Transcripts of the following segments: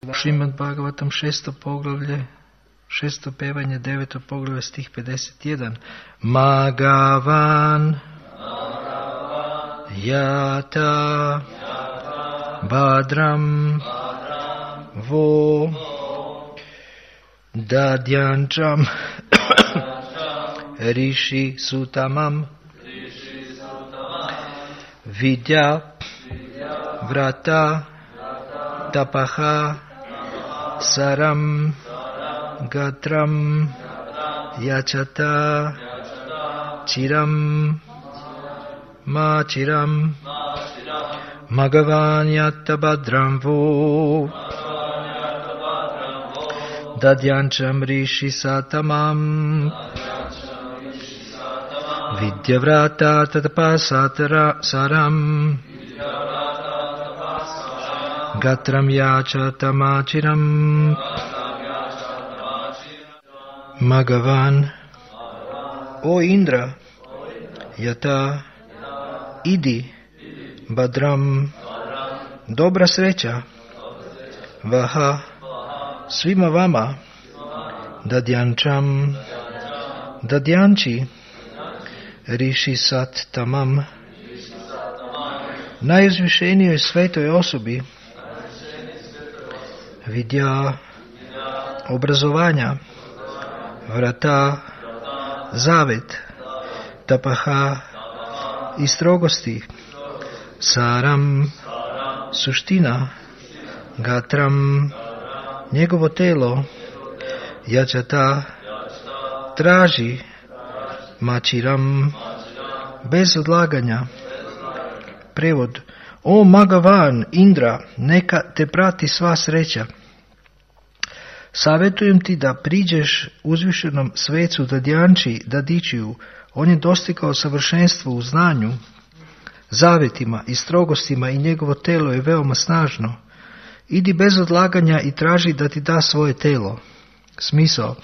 Šrimad Bhagavatam 6. poglavlje, 6. pevanje, 9. poglavlje, stih 51. Magavan Yata Badram Vo Dadyancham Rishi Sutamam Vidya Vrata Tapaha Saram Gatram Yachata Chiram Machiram Magavan Yatta Badram Vo Dadyancham Rishi Satamam Vidyavrata Tatapasatara Saram Gatram Yachatamachiram Magavan. O Indra, Yata, idi, Badram, dobra sreća, Vaha, svima vama, Dadyančam, Dadyanči, Rishi Sat Tamam, najuzvišenijoj svetoj osobi, Vidya, obrazovanja, Vrata, zavet, Tapaha i strogosti, Saram, suština, Gatram, njegovo telo, Jačata, traži, Mačiram, bez odlaganja. Prevod: O Magavan, Indra, neka te prati sva sreća. Savjetujem ti da priđeš uzvišenom svecu Dadyanči Dadičiju. On je dostigao savršenstvo u znanju, zavetima i strogostima i njegovo telo je veoma snažno. Idi bez odlaganja i traži da ti da svoje telo. Smisao: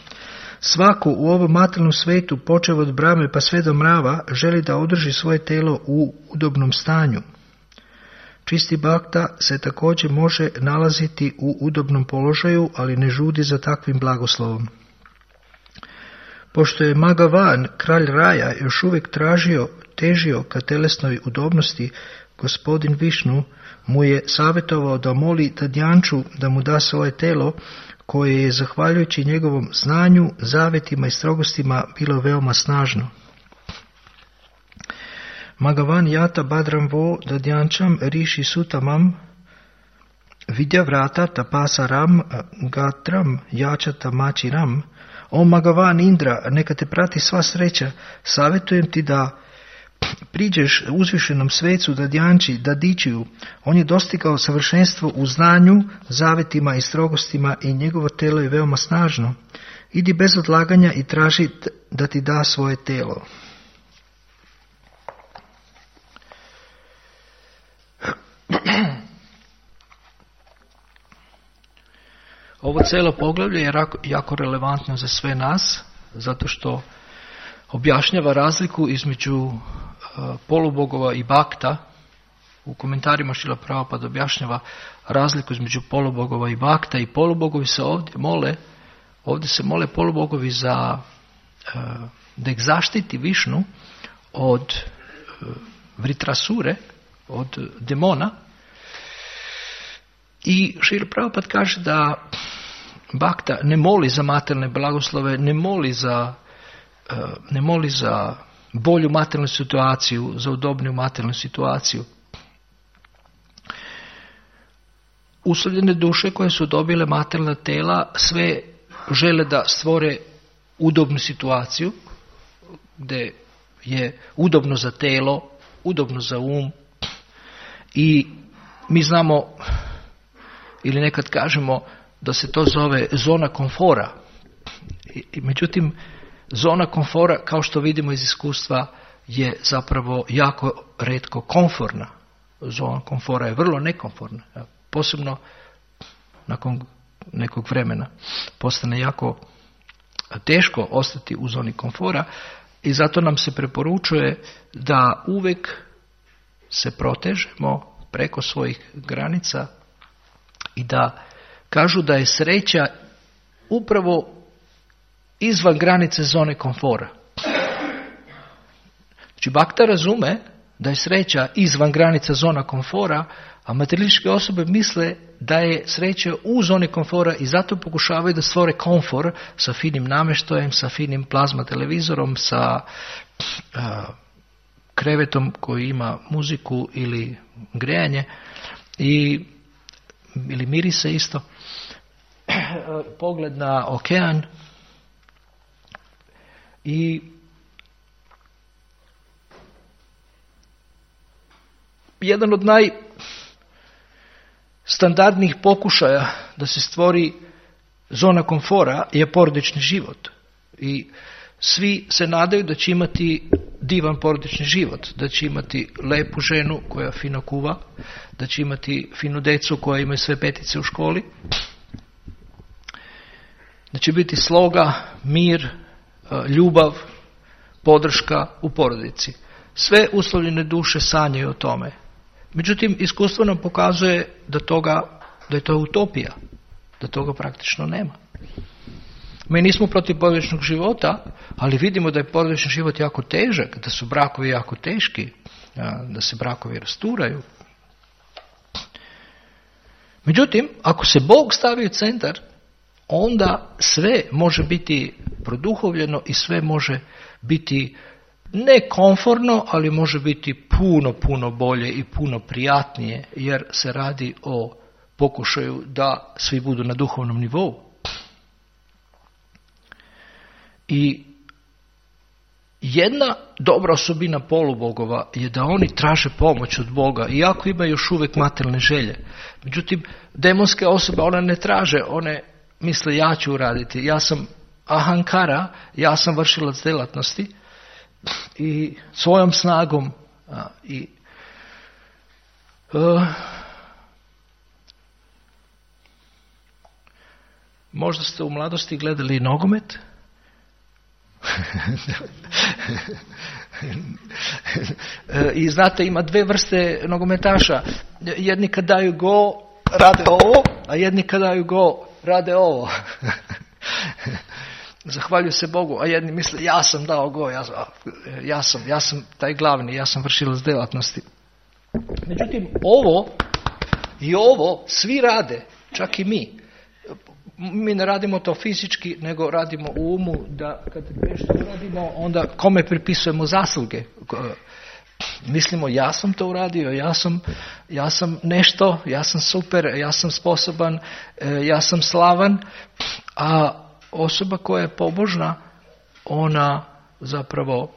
svako u ovom materijalnom svetu, počev od Brahme pa sve do mrava, želi da održi svoje telo u udobnom stanju. Čisti bhakta se također može nalaziti u udobnom položaju, ali ne žudi za takvim blagoslovom. Pošto je Magavan, kralj raja, još uvijek težio ka telesnoj udobnosti, gospodin Višnu mu je savjetovao da moli Dadyanču da mu da svoje telo, koje je, zahvaljujući njegovom znanju, zavetima i strogostima, bilo veoma snažno. Magavan Yata Badram Vo Dadyančam Rishi Sutamam Vidya Vrata Tapasaram Gatram Yachata Machiram. O Magavan Indra, neka te prati sva sreća. Savjetujem ti da priđeš uzvišenom svecu Dadyanči Dadičiju. On je dostigao savršenstvo u znanju, zavetima i strogostima i njegovo telo je veoma snažno. Idi bez odlaganja i traži da ti da svoje telo. Ovo cijelo poglavlje je jako relevantno za sve nas, zato što objašnjava razliku između polubogova i bhakta. U komentarima Šrila Prabhupada objašnjava razliku između polubogova i bhakta, i polubogovi se ovdje se mole polubogovi da ih zaštiti Višnu od Vritrasure, od demona. I Šrila Prabhupada kaže da bhakta ne moli za materijalne blagoslove, ne moli za bolju materijalnu situaciju, za udobniju materijalnu situaciju. Uslovljene duše koje su dobile materijalna tela sve žele da stvore udobnu situaciju, gdje je udobno za telo, udobno za um, i mi znamo, ili nekad kažemo da se to zove zona komfora. Međutim, zona komfora, kao što vidimo iz iskustva, je zapravo jako retko komforna. Zona komfora je vrlo nekomforna. Posebno nakon nekog vremena postane jako teško ostati u zoni komfora i zato nam se preporučuje da uvijek se protežemo preko svojih granica i da kažu da je sreća upravo izvan granice zone komfora. Znači, Bhakta razume da je sreća izvan granica zona komfora, a materialističke osobe misle da je sreća u zoni komfora i zato pokušavaju da stvore komfor sa finim namještajem, sa finim plazma televizorom, sa krevetom koji ima muziku ili grejanje ili mirise isto, pogled na okean i jedan od najstandardnijih pokušaja da se stvori zona komfora je porodični život. I svi se nadaju da će imati divan porodični život, da će imati lepu ženu koja fino kuva, da će imati finu decu koja imaju sve petice u školi, da će biti sloga, mir, ljubav, podrška u porodici. Sve uslovljene duše sanjaju o tome. Međutim, iskustvo nam pokazuje da je to utopija, da toga praktično nema. Mi nismo protiv porodičnog života, ali vidimo da je porodični život jako težak, da su brakovi jako teški, da se brakovi rasturaju. Međutim, ako se Bog stavi u centar, onda sve može biti produhovljeno i sve može biti ne komforno, ali može biti puno, puno bolje i puno prijatnije, jer se radi o pokušaju da svi budu na duhovnom nivou. I jedna dobra osobina polubogova je da oni traže pomoć od Boga, iako imaju još uvijek materijalne želje. Međutim, demonske osobe, one ne traže, one misle ja ću uraditi, ja sam ahankara, ja sam vršilac djelatnosti i svojom snagom možda ste u mladosti gledali nogomet? I znate, ima dve vrste nogometaša. Jedni kad daju go rade ovo, a jedni kad daju go rade ovo. Zahvaljuju se Bogu, a jedni misle ja sam dao go, ja sam taj glavni, ja sam vršilac djelatnosti. Međutim, ovo svi rade, čak i mi. Mi ne radimo to fizički, nego radimo u umu da kad nešto uradimo, onda kome pripisujemo zasluge. Mislimo ja sam to uradio, ja sam nešto, ja sam super, ja sam sposoban, ja sam slavan, a osoba koja je pobožna, ona zapravo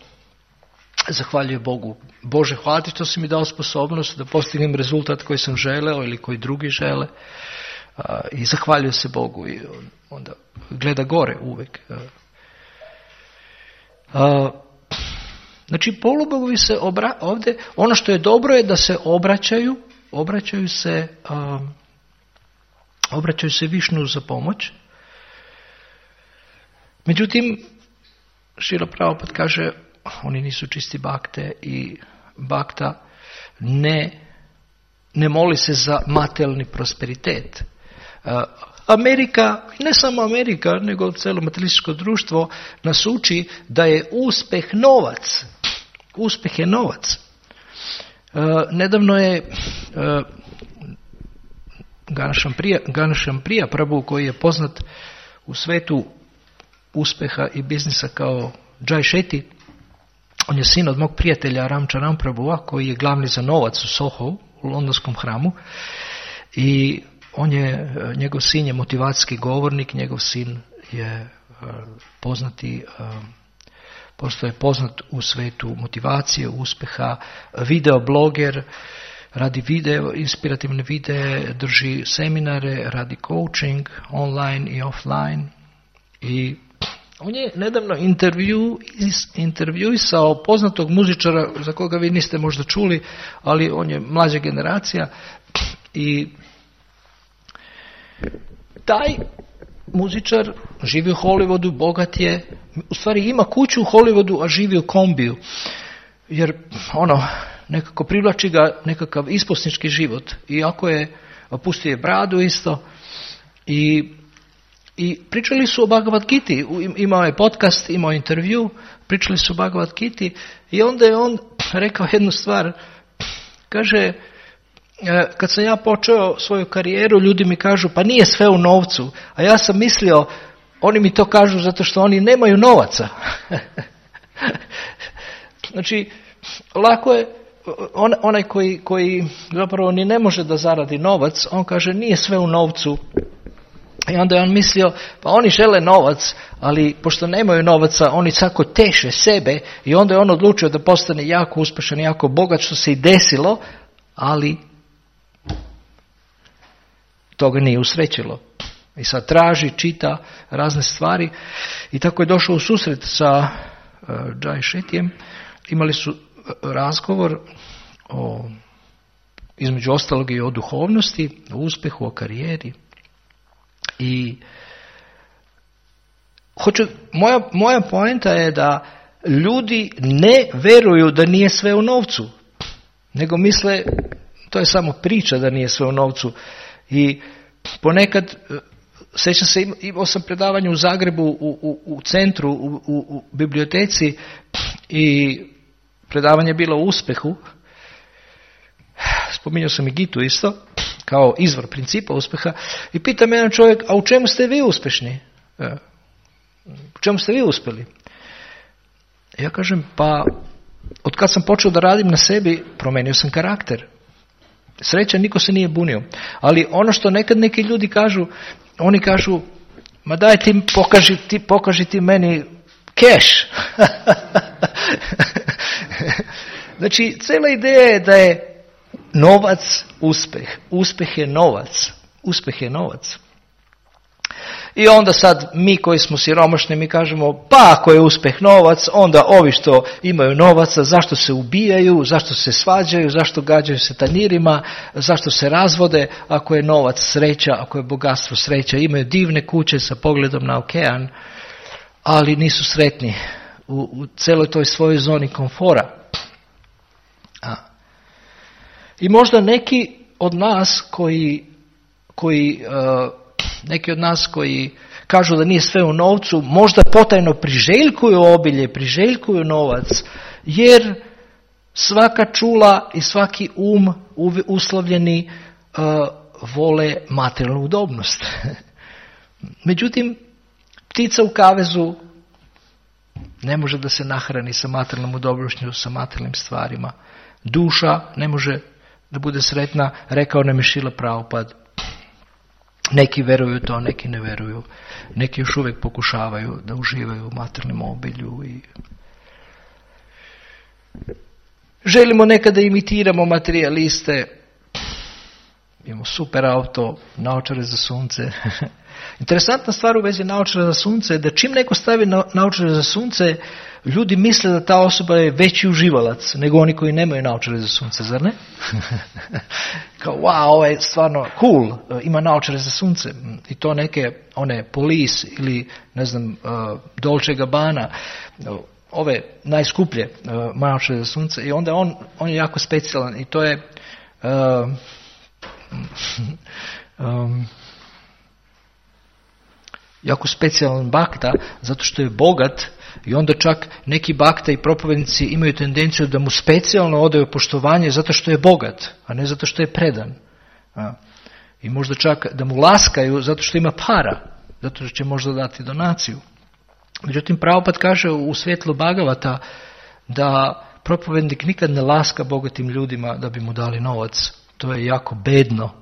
zahvaljuje Bogu. Bože, hvala ti što si mi dao sposobnost da postignem rezultat koji sam želeo ili koji drugi žele. I zahvaljuje se Bogu i onda gleda gore uvijek. Znači, polubogovi se ovdje, ono što je dobro je da se obraćaju se Višnu za pomoć. Međutim, Šrila Prabhupada kaže, oni nisu čisti bakte i bakta ne moli se za materijalni prosperitet. Amerika, ne samo Amerika, nego cijelo materialističko društvo nas uči da je uspjeh novac. Uspjeh je novac. Nedavno je Ganesham Priya Prabhu, koji je poznat u svetu uspjeha i biznisa kao Jai Shetty, on je sin od mog prijatelja Ramcharan Prabhua, koji je glavni za novac u Soho, u londonskom hramu, i njegov sin je motivacijski govornik, njegov sin je postoje poznat u svetu motivacije, uspjeha, videobloger, radi inspirativne videe, drži seminare, radi coaching online i offline. I on je nedavno intervjuisao poznatog muzičara za koga vi niste možda čuli, ali on je mlađa generacija i taj muzičar živi u Hollywoodu, bogat je, u stvari ima kuću u Hollywoodu, a živi u kombiju, jer nekako privlači ga nekakav isposnički život, iako je opustio je bradu isto I pričali su o Bhagavad Giti, imao je podcast, imao intervju, pričali su o Bhagavad Giti i onda je on rekao jednu stvar, kaže, kad sam ja počeo svoju karijeru, ljudi mi kažu, pa nije sve u novcu, a ja sam mislio, oni mi to kažu zato što oni nemaju novaca. Znači, lako je, onaj koji zapravo ni ne može da zaradi novac, on kaže, nije sve u novcu. I onda je on mislio, pa oni žele novac, ali pošto nemaju novaca, oni tako teše sebe i onda je on odlučio da postane jako uspješan, jako bogat, što se i desilo, ali to ga nije usrećilo. I sad traži, čita razne stvari i tako je došao u susret sa Jai Shettyjem. Imali su razgovor između ostalog i o duhovnosti, o uspjehu, o karijeri. I moja poenta je da ljudi ne veruju da nije sve u novcu, nego misle, to je samo priča da nije sve u novcu. I ponekad, sjećam se, imao sam predavanje u Zagrebu, u centru, u biblioteci i predavanje je bilo o uspjehu. Spominjao sam i Gitu isto, kao izvor principa uspjeha, i pita me jedan čovjek, a u čemu ste vi uspješni? U čemu ste vi uspjeli? Ja kažem, pa od kad sam počeo da radim na sebi, promenio sam karakter. Sreća, niko se nije bunio. Ali ono što nekad neki ljudi kažu, oni kažu, ma daj pokaži ti meni keš. Znači, cijela ideja je da je novac uspjeh. Uspjeh je novac. Uspjeh je novac. I onda sad mi koji smo siromašni, mi kažemo, pa ako je uspjeh novac, onda ovi što imaju novaca, zašto se ubijaju, zašto se svađaju, zašto gađaju se tanjirima, zašto se razvode, ako je novac sreća, ako je bogatstvo sreća, imaju divne kuće sa pogledom na okean, ali nisu sretni u celoj toj svojoj zoni komfora. I možda neki od nas koji kažu da nije sve u novcu, možda potajno priželjkuju obilje, priželjkuju novac, jer svaka čula i svaki uslovljeni vole materijalnu udobnost. Međutim, ptica u kavezu ne može da se nahrani sa materijalnom udobnošću, sa materijalnim stvarima. Duša ne može da bude sretna, rekao nam je Šrila Prabhupada. Neki veruju to, neki ne veruju. Neki još uvijek pokušavaju da uživaju u materijalnom obilju. I želimo nekada imitiramo materijaliste. Imamo super auto, naočare za sunce. Interesantna stvar u vezi naočara za sunce je da čim neko stavi naočare za sunce, ljudi misle da ta osoba je veći uživalac nego oni koji nemaju naočare za sunce, zar ne? Kao, wow, ovo je stvarno cool, ima naočare za sunce. I to neke, one Police ili, ne znam, Dolce & Gabbana, ove najskuplje naočare za sunce. I onda on je jako specijalan i to je jako specijalan bakta, zato što je bogat i onda čak neki bakta i propovednici imaju tendenciju da mu specijalno odaju poštovanje zato što je bogat, a ne zato što je predan. I možda čak da mu laskaju zato što ima para, zato što će možda dati donaciju. Međutim, Prabhupada kaže u svjetlu Bhagavata da propovednik nikad ne laska bogatim ljudima da bi mu dali novac. To je jako bedno.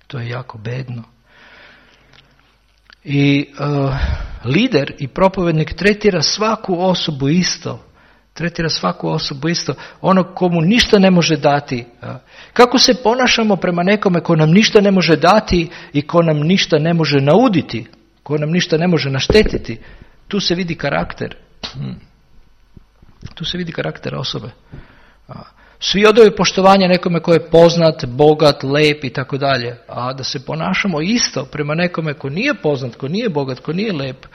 To je jako bedno. I lider i propovednik tretira svaku osobu isto. Tretira svaku osobu isto. Ono komu ništa ne može dati. Kako se ponašamo prema nekome ko nam ništa ne može dati i ko nam ništa ne može nauditi, ko nam ništa ne može naštetiti, tu se vidi karakter. Tu se vidi karakter osobe. Svi odaju poštovanje nekome ko je poznat, bogat, lep i tako dalje. A da se ponašamo isto prema nekome ko nije poznat, ko nije bogat, ko nije lep,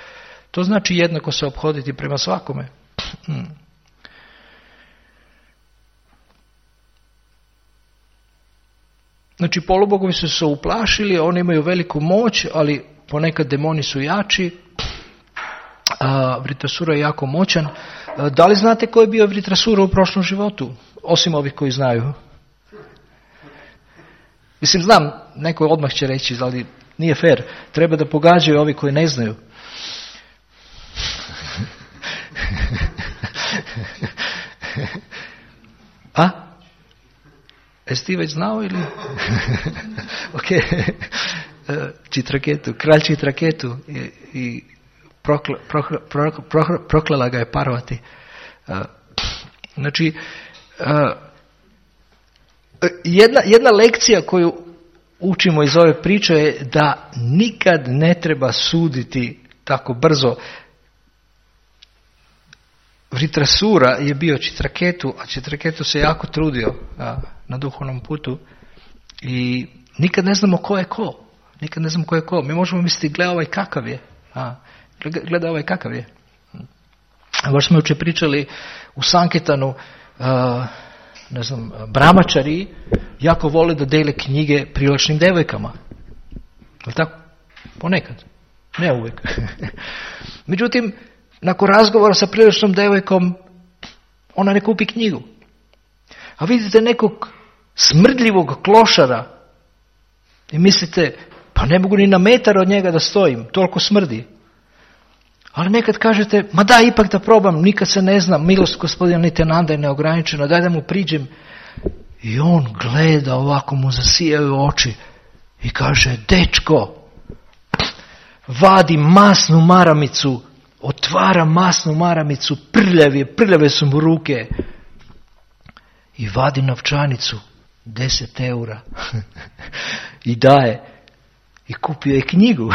to znači jednako se ophoditi prema svakome. Znači polubogovi su se uplašili, oni imaju veliku moć, ali ponekad demoni su jači. Vritrasura je jako moćan. Da li znate ko je bio Vritrasura u prošlom životu? Osim ovih koji znaju. Mislim, znam, neko odmah će reći, ali nije fair. Treba da pogađaju ovi koji ne znaju. A? Jesi ti već znao ili? Ok. Čitraketu, kralj Čitraketu i proklela ga je Parvati. Znači, jedna lekcija koju učimo iz ove priče je da nikad ne treba suditi tako brzo. Vritrasura je bio Čitraketu, a Čitraketu se jako trudio na duhovnom putu i nikad ne znamo ko je ko. Nikad ne znamo ko je ko. Mi možemo misliti, gledaj ovaj kakav je. Gledaj ovaj kakav je. Baš smo jučer pričali u Sanketanu, ne znam, brahmačari jako vole da dele knjige privlačnim devojkama. Je tako? Ponekad. Ne uvijek. Međutim, nakon razgovora sa privlačnom devojkom, ona ne kupi knjigu. A vidite nekog smrdljivog klošara i mislite, pa ne mogu ni na metar od njega da stojim, toliko smrdi. Ali nekad kažete, ma da, ipak da probam, nikad se ne znam, milost Gospodina Nityananda je neograničena, daj da mu priđem. I on gleda, ovako mu zasijaju oči i kaže, dečko, vadi masnu maramicu, otvara masnu maramicu, prljave su mu ruke i vadi novčanicu, 10 eura i daje. I kupio je knjigu.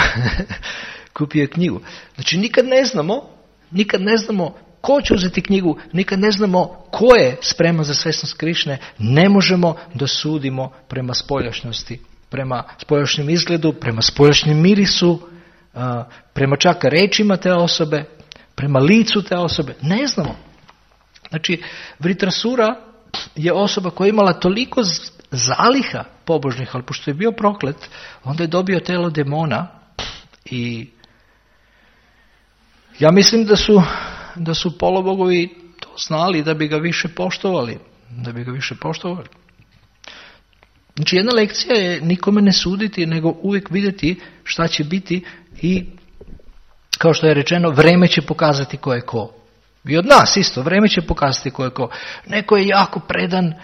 Kupio je knjigu. Znači nikad ne znamo ko će uzeti knjigu, nikad ne znamo ko je spreman za svesnost Krišne. Ne možemo da sudimo prema spoljašnjosti, prema spoljašnjem izgledu, prema spoljašnjem mirisu, prema čak rečima te osobe, prema licu te osobe. Ne znamo. Znači, Vritrasura je osoba koja je imala toliko zaliha pobožnih, ali pošto je bio proklet, onda je dobio telo demona i ja mislim da su polubogovi to znali da bi ga više poštovali. Znači jedna lekcija je nikome ne suditi, nego uvijek vidjeti šta će biti i kao što je rečeno, vreme će pokazati ko je ko. I od nas isto, vreme će pokazati ko je ko. Neko je jako predan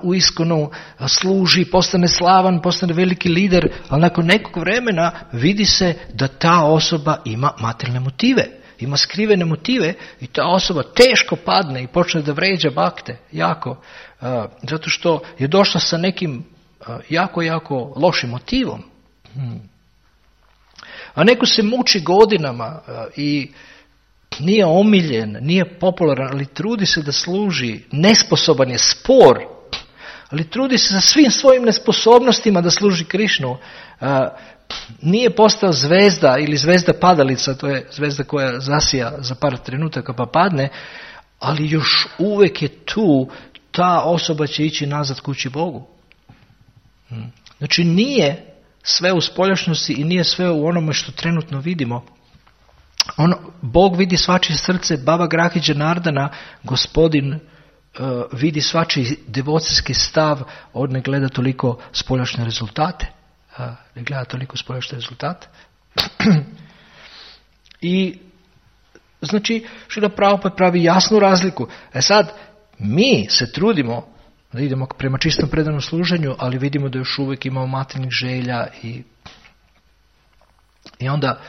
u iskonu, služi, postane slavan, postane veliki lider, ali nakon nekog vremena vidi se da ta osoba ima materijalne motive, ima skrivene motive i ta osoba teško padne i počne da vređa bakte, jako, zato što je došla sa nekim jako lošim motivom. A neko se muči godinama i nije omiljen, nije popularan, ali trudi se da služi, nesposoban je, spor, ali trudi se sa svim svojim nesposobnostima da služi Krišnu. Nije postao zvezda ili zvezda padalica, to je zvezda koja zasija za par trenutaka pa padne, ali još uvijek je tu, ta osoba će ići nazad kući Bogu. Znači nije sve u spoljašnosti i nije sve u onome što trenutno vidimo. Bog vidi svačije srce, Baba Grahi Janardana, Gospodin vidi svačiji devocijski stav, on ne gleda toliko spoljašne rezultate. I znači Šrila Prabhupada pravi jasnu razliku. Sad, mi se trudimo da idemo prema čistom predanom služenju, ali vidimo da još uvijek imamo materijalnih želja i onda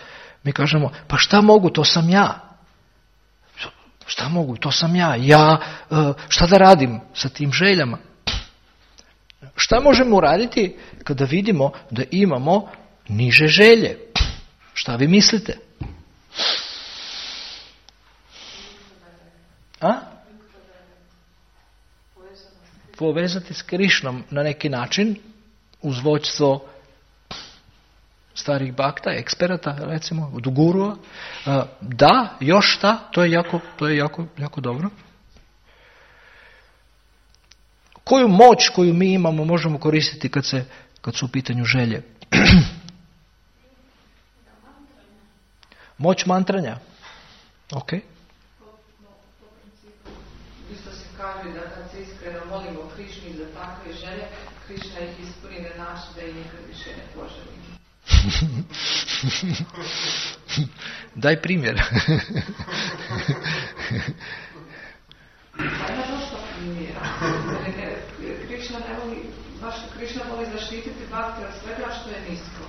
mi kažemo, pa šta mogu, to sam ja. Šta mogu, to sam ja. Šta da radim sa tim željama? Šta možemo uraditi kada vidimo da imamo niže želje? Šta vi mislite? Povezati s Krišnom na neki način uz vođstvo starih bakta, eksperata, recimo, od gurua. Da, još šta, to je jako dobro. Koju moć koju mi imamo možemo koristiti kad se kad su u pitanju želje. Moć mantranja. Ok. Isto se kaže da kad se iskreno molimo Krišni za takve želje, Krišna ih ispuni na način da ih nikad više ne poželimo. Daj primjer. Pa ima dosta primjera. Krišna voli zaštititi bhakti od svega što je nisko.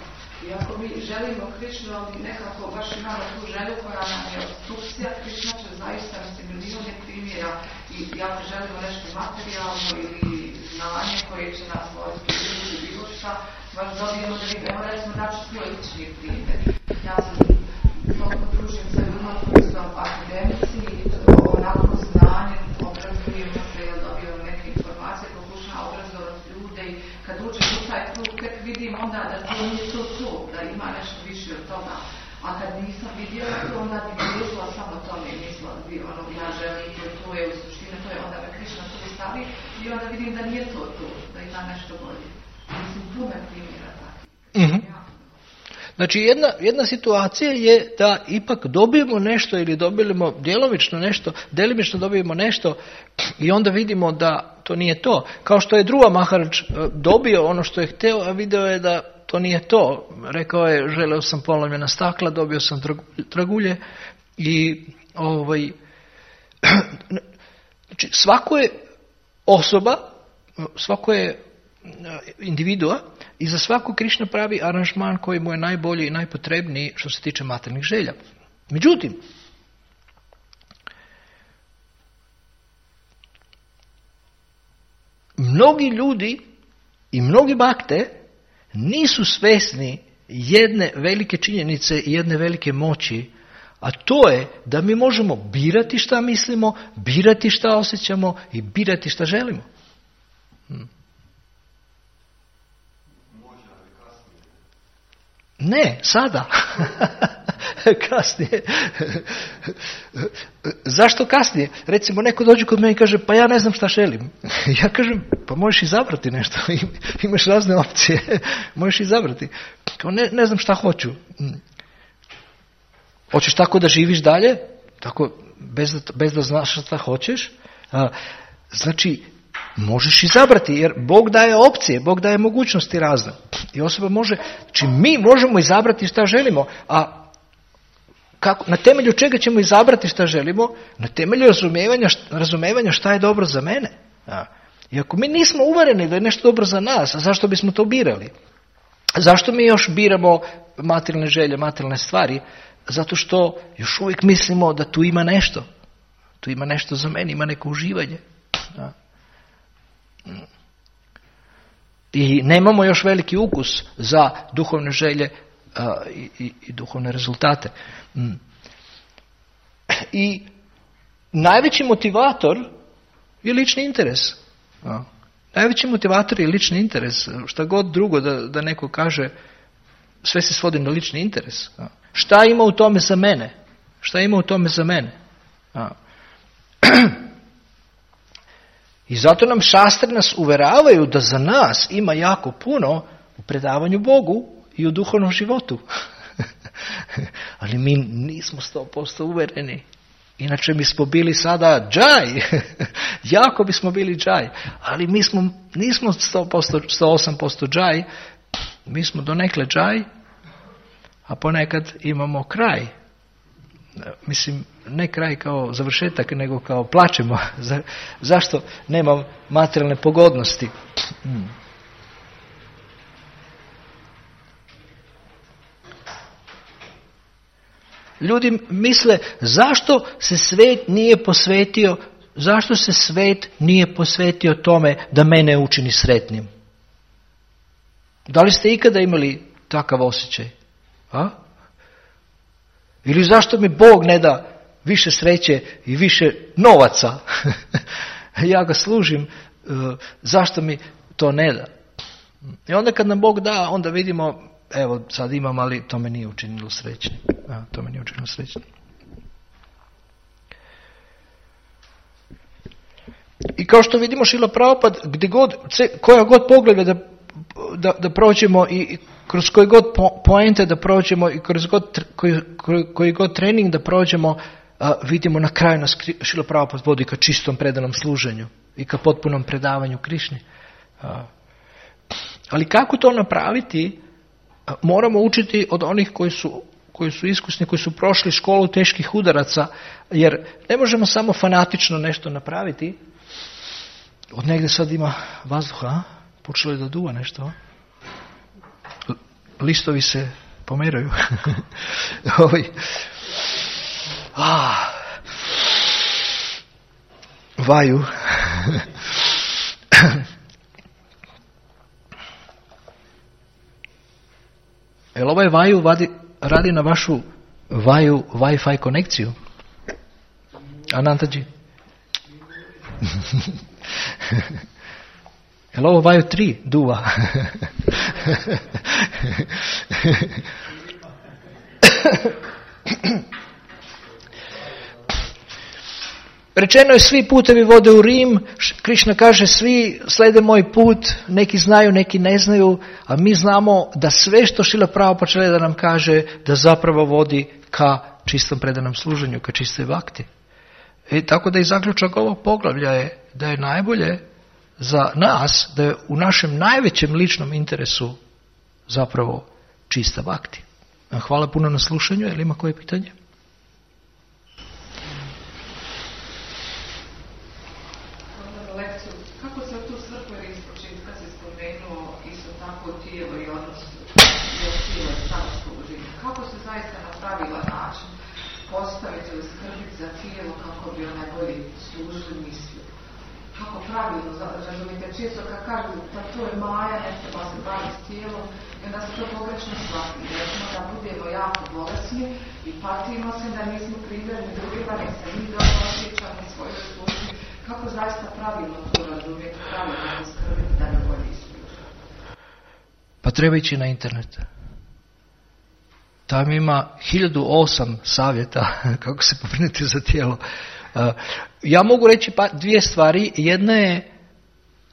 I ako mi želimo Krišnu, ali nekako baš imamo tu želju koja nam je obstrukcija, Krišna će zaista milijune primjera. I ako želimo nešto materijalno ili znanje koje će nas voditi ili bilo šta, baš dobijemo da vidimo, recimo daću svoj lični primjer. Ja sam toliko družim sa ljudima koji su akademici i onako znanje, obrazujemo se, dobijemo neke informacije, pokušamo obrazovati ljude i kad uđem u taj krug, tek vidim onda da to nije to, da ima nešto više od toga. A kad nisam vidjela to, onda bi gležila samo tome i mislila bi, ja želim to je u suštini, to je onda me Krišna to stavi i onda vidim da nije to, da ima nešto bolje. Mislim, puno primjera tako. Znači, jedna situacija je da ipak dobijemo nešto ili dobijemo djelomično dobijemo nešto i onda vidimo da to nije to. Kao što je Dhruva Maharaj dobio ono što je htio, a video je da to nije to. Rekao je, želeo sam polomljena stakla, dobio sam dragulje i znači, svako je osoba, svako je individua i za svako Krišna pravi aranžman koji mu je najbolji i najpotrebniji što se tiče materijalnih želja. Međutim, mnogi ljudi i mnogi bhakte nisu svjesni jedne velike činjenice i jedne velike moći, a to je da mi možemo birati šta mislimo, birati šta osjećamo i birati šta želimo. Ne, sada. Kasnije. Zašto kasnije? Recimo, neko dođe kod mene i kaže, pa ja ne znam šta želim. Ja kažem, pa možeš izabrati nešto. Imaš razne opcije. Možeš izabrati. Ne znam šta hoću. Hoćeš tako da živiš dalje? Tako, bez da znaš šta hoćeš? Znači, možeš izabrati, jer Bog daje opcije, Bog daje mogućnosti razne. I osoba može, znači mi možemo izabrati šta želimo, a kako, na temelju čega ćemo izabrati šta želimo? Na temelju razumijevanja šta je dobro za mene. I ako mi nismo uvereni da je nešto dobro za nas, a zašto bismo to birali? Zašto mi još biramo materijalne želje, materijalne stvari? Zato što još uvijek mislimo da tu ima nešto. Tu ima nešto za mene, ima neko uživanje. I nemamo još veliki ukus za duhovne želje i duhovne rezultate. I najveći motivator je lični interes. Najveći motivator je lični interes. Šta god drugo da neko kaže, sve se svodi na lični interes. Šta ima u tome za mene? Šta ima u tome za mene? I zato nam šastre nas uveravaju da za nas ima jako puno u predavanju Bogu i u duhovnom životu. Ali mi nismo 100% uvereni. Inače mi smo bili sada džaj. Jako bismo bili džaj. Ali mi nismo 108% džaj. Mi smo donekle džaj, a ponekad imamo kraj. Mislim, ne kraj kao završetak, nego kao plačemo. Zašto nemam materijalne pogodnosti? Ljudi misle, zašto se svet nije posvetio tome da mene učini sretnim? Da li ste ikada imali takav osjećaj? Ili zašto mi Bog ne da više sreće i više novaca? Ja ga služim, zašto mi to ne da? I onda kad nam Bog da, onda vidimo, evo sad imam, ali to me nije učinilo srećnim. To me nije učinilo srećnim. I kao što vidimo, Šrila Prabhupada, koja god pogleda da prođemo i kroz koji god poente da prođemo i kroz koji god trening da prođemo, vidimo na kraju nas Šrila Prabhupada vodi ka čistom predanom služenju i ka potpunom predavanju Krišni. Ali kako to napraviti? Moramo učiti od onih koji su iskusni, koji su prošli školu teških udaraca, jer ne možemo samo fanatično nešto napraviti. Od negdje sad ima vazduha, počelo je da duva nešto. Listovi se pomeraju. Vaju. Jel ovaj vaju radi na vašu vaju Wi-Fi konekciju? Anantaji? Jel ovo vaju 3 duva? Rečeno je svi putevi vode u Rim, Krišna kaže svi slede moj put, neki znaju, neki ne znaju, a mi znamo da sve što Šrila Prabhupada želi da nam kaže, da zapravo vodi ka čistom predanom služenju, ka čistoj vakti. Tako da i zaključak ovog poglavlja je da je najbolje za nas, da je u našem najvećem ličnom interesu zapravo čista vakti. Hvala puno na slušanju, je li ima koje pitanje? Često kad kažu da to je maja, ne treba se baviti s tijelom, i onda se to pogrešno shvati. Recimo da budemo jako bolesni i patimo se da nismo primjerni drugima, nek se mi dobro osjećamo u svojoj službi. Kako zaista pravilno to razumijeti, pravilno skrbiti da ne bolje ispričati? Pa treba ići na internet. Tam ima 1008 savjeta kako se pobrinuti za tijelo. Ja mogu reći dvije stvari. Jedna je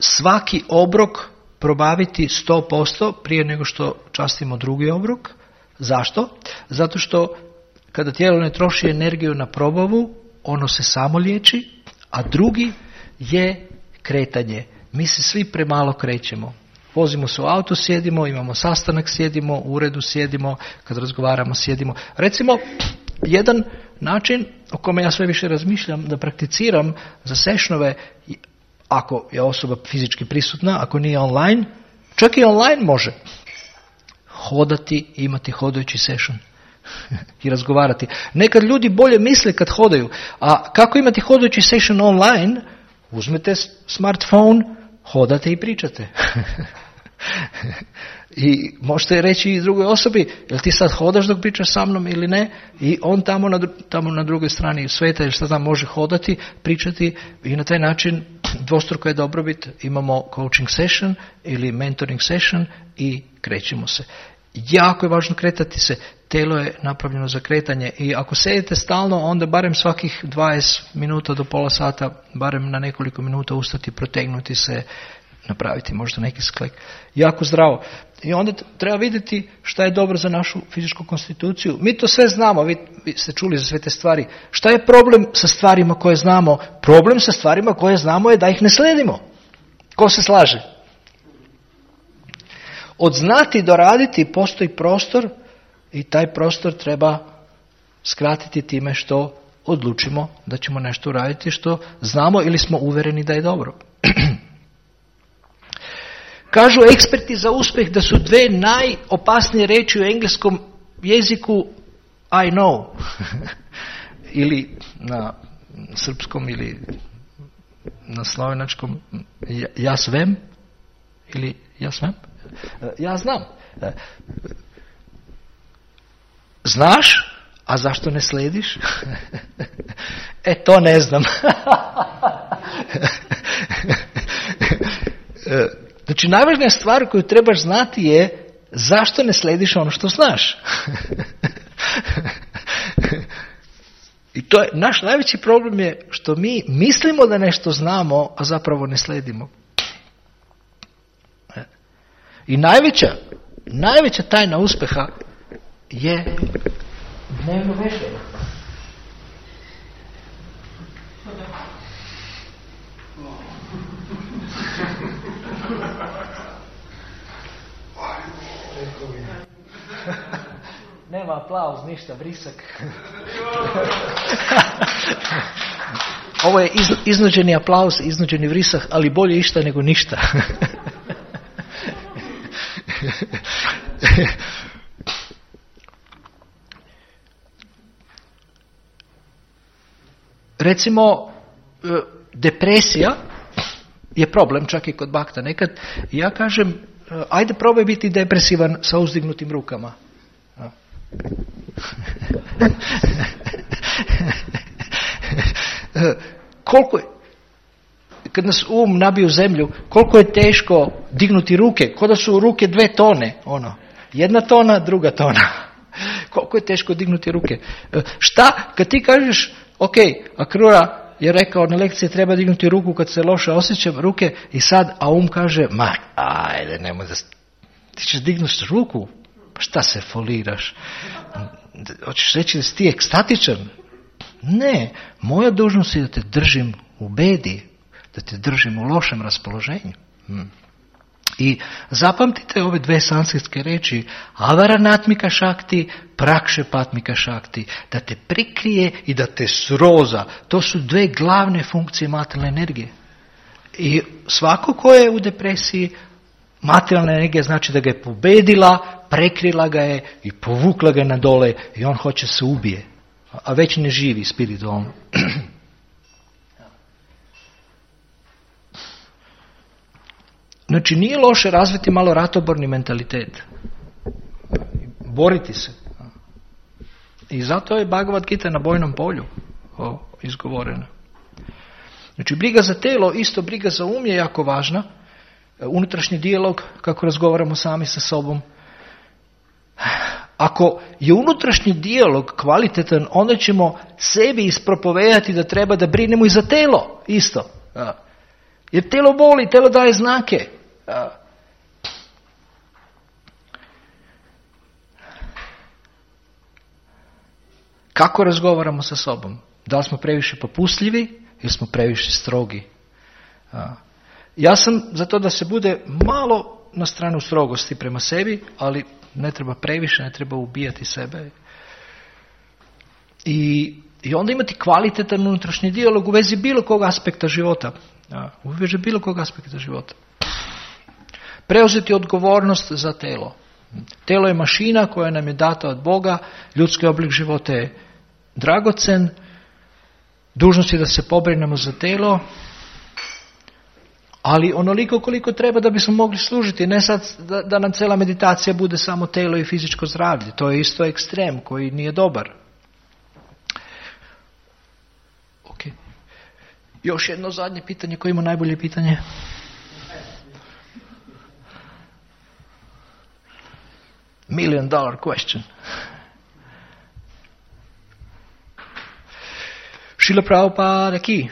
svaki obrok probaviti 100% prije nego što častimo drugi obrok. Zašto? Zato što kada tijelo ne troši energiju na probavu, ono se samo liječi, a drugi je kretanje. Mi se svi premalo krećemo. Vozimo se u auto, sjedimo, imamo sastanak, sjedimo, u uredu sjedimo, kad razgovaramo sjedimo. Recimo, jedan način o kome ja sve više razmišljam da prakticiram za sešnove, ako je osoba fizički prisutna, ako nije online, čak i online može hodati, imati hodajući session i razgovarati. Nekad ljudi bolje misle kad hodaju, a kako imati hodajući session online? Uzmete smartphone, hodate i pričate. I možete reći i drugoj osobi, jel ti sad hodaš dok pričaš sa mnom ili ne? I on tamo na drugoj strani sveta ili šta znam može hodati, pričati i na taj način dvostruko je dobrobit. Imamo coaching session ili mentoring session i krećemo se. Jako je važno kretati se. Telo je napravljeno za kretanje i ako sedite stalno, onda barem svakih 20 minuta do pola sata, barem na nekoliko minuta ustati, protegnuti se, napraviti možda neki sklek. Jako zdravo. I onda treba vidjeti šta je dobro za našu fizičku konstituciju. Mi to sve znamo, vi ste čuli za sve te stvari. Šta je problem sa stvarima koje znamo? Problem sa stvarima koje znamo je da ih ne sledimo. Ko se slaže? Od znati do raditi postoji prostor i taj prostor treba skratiti time što odlučimo da ćemo nešto uraditi što znamo ili smo uvereni da je dobro. Kažu eksperti za uspjeh da su dve najopasnije riječi u engleskom jeziku I know ili na srpskom ili na slovenačkom ja svem ili ja svem. Ja znam. Znaš, a zašto ne slediš? To ne znam. Znači, najvažnija stvar koju trebaš znati je zašto ne slediš ono što znaš. I to je, naš najveći problem je što mi mislimo da nešto znamo, a zapravo ne sledimo. I najveća tajna uspjeha je dnevno vežbanje. Nema aplauz, ništa, vrisak. Ovo je iznuđeni aplauz, iznuđeni vrisak, ali bolje išta nego ništa. Recimo, depresija je problem čak i kod Bakta. Nekad ja kažem, ajde probaj biti depresivan sa uzdignutim rukama. Koliko je, kad nas nabiju zemlju, koliko je teško dignuti ruke, kao da su ruke 2 tone, jedna tona, druga tona. Koliko je teško dignuti ruke. Šta, kad ti kažeš, ok, Akrura je rekao na lekciji treba dignuti ruku kad se loše osjećam ruke i sad, a kaže, ajde, nemoj da, ti ćeš dignuti ruku, pa šta se foliraš? Hoćeš reći da si ti ekstatičan? Ne, moja dužnost je da te držim u bedi, da te držim u lošem raspoloženju. I zapamtite ove 2 sanskritske reči, avaranatmika šakti, prakšepatmika šakti, da te prikrije i da te sroza. To su 2 glavne funkcije materijalne energije. I svako ko je u depresiji, materijalna energija znači da ga je pobedila, prekrila ga je i povukla ga na dole i on hoće se ubije. A već ne živi spiritualno. Znači, nije loše razviti malo ratoborni mentalitet. Boriti se. I zato je Bhagavad Gita na bojnom polju izgovorena. Znači, briga za telo, isto briga za um je jako važna. Unutrašnji dijalog, kako razgovaramo sami sa sobom. Ako je unutrašnji dijalog kvalitetan, onda ćemo sebi ispropovejati da treba da brinemo i za telo. Isto. Jer telo boli, telo daje znake. Kako razgovaramo sa sobom? Da li smo previše popustljivi ili smo previše strogi? Ja sam za to da se bude malo na stranu strogosti prema sebi, ali ne treba previše, ne treba ubijati sebe. I onda imati kvalitetan unutrašnji dijalog u vezi bilo kog aspekta života. U vezi bilo kog aspekta života. Preuzeti odgovornost za telo. Telo je mašina koja nam je data od Boga, ljudski oblik života je dragocen, dužnost je da se pobrinemo za telo, ali onoliko koliko treba da bismo mogli služiti, ne sad da nam cela meditacija bude samo telo i fizičko zdravlje. To je isto ekstrem koji nije dobar. Ok. Još jedno zadnje pitanje, ko ima najbolje pitanje? $1 million question. Srila Prabhupada ki.